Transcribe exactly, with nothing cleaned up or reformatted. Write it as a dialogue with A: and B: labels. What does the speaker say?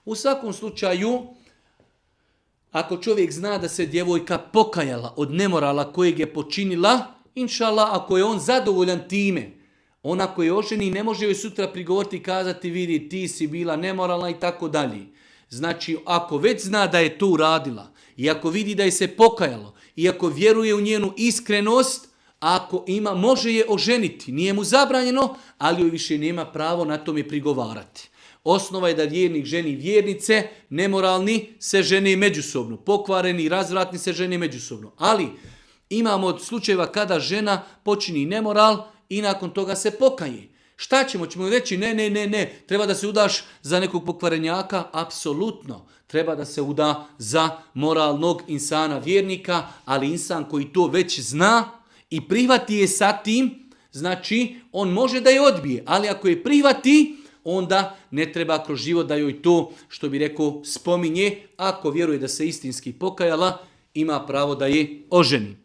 A: U svakom slučaju, ako čovjek zna da se djevojka pokajala od nemorala kojeg je počinila, inšallah, ako je on zadovoljan time, ona koja je oženi ne može joj sutra prigovoriti i kazati vidi ti si bila nemoralna i tako dalje. Znači, ako već zna da je to uradila, i ako vidi da je se pokajalo, i ako vjeruje u njenu iskrenost, ako ima, može je oženiti. Nije mu zabranjeno, ali joj više nema pravo na tome prigovarati. Osnova je da vjernik ženi vjernice, nemoralni se žene međusobno, pokvareni i razvratni se žene međusobno. Ali imamo slučajeva kada žena počini nemoral i nakon toga se pokaje. Šta ćemo? Ćemo reći ne, ne, ne, ne, treba da se udaš za nekog pokvarenjaka? Apsolutno. Treba da se uda za moralnog insana vjernika, ali insan koji to već zna i prihvati je sa tim, znači on može da je odbije, ali ako je prihvati, onda ne treba kroz život da joj to, što bi rekao, spominje. Ako vjeruje da se istinski pokajala, ima pravo da je oženi.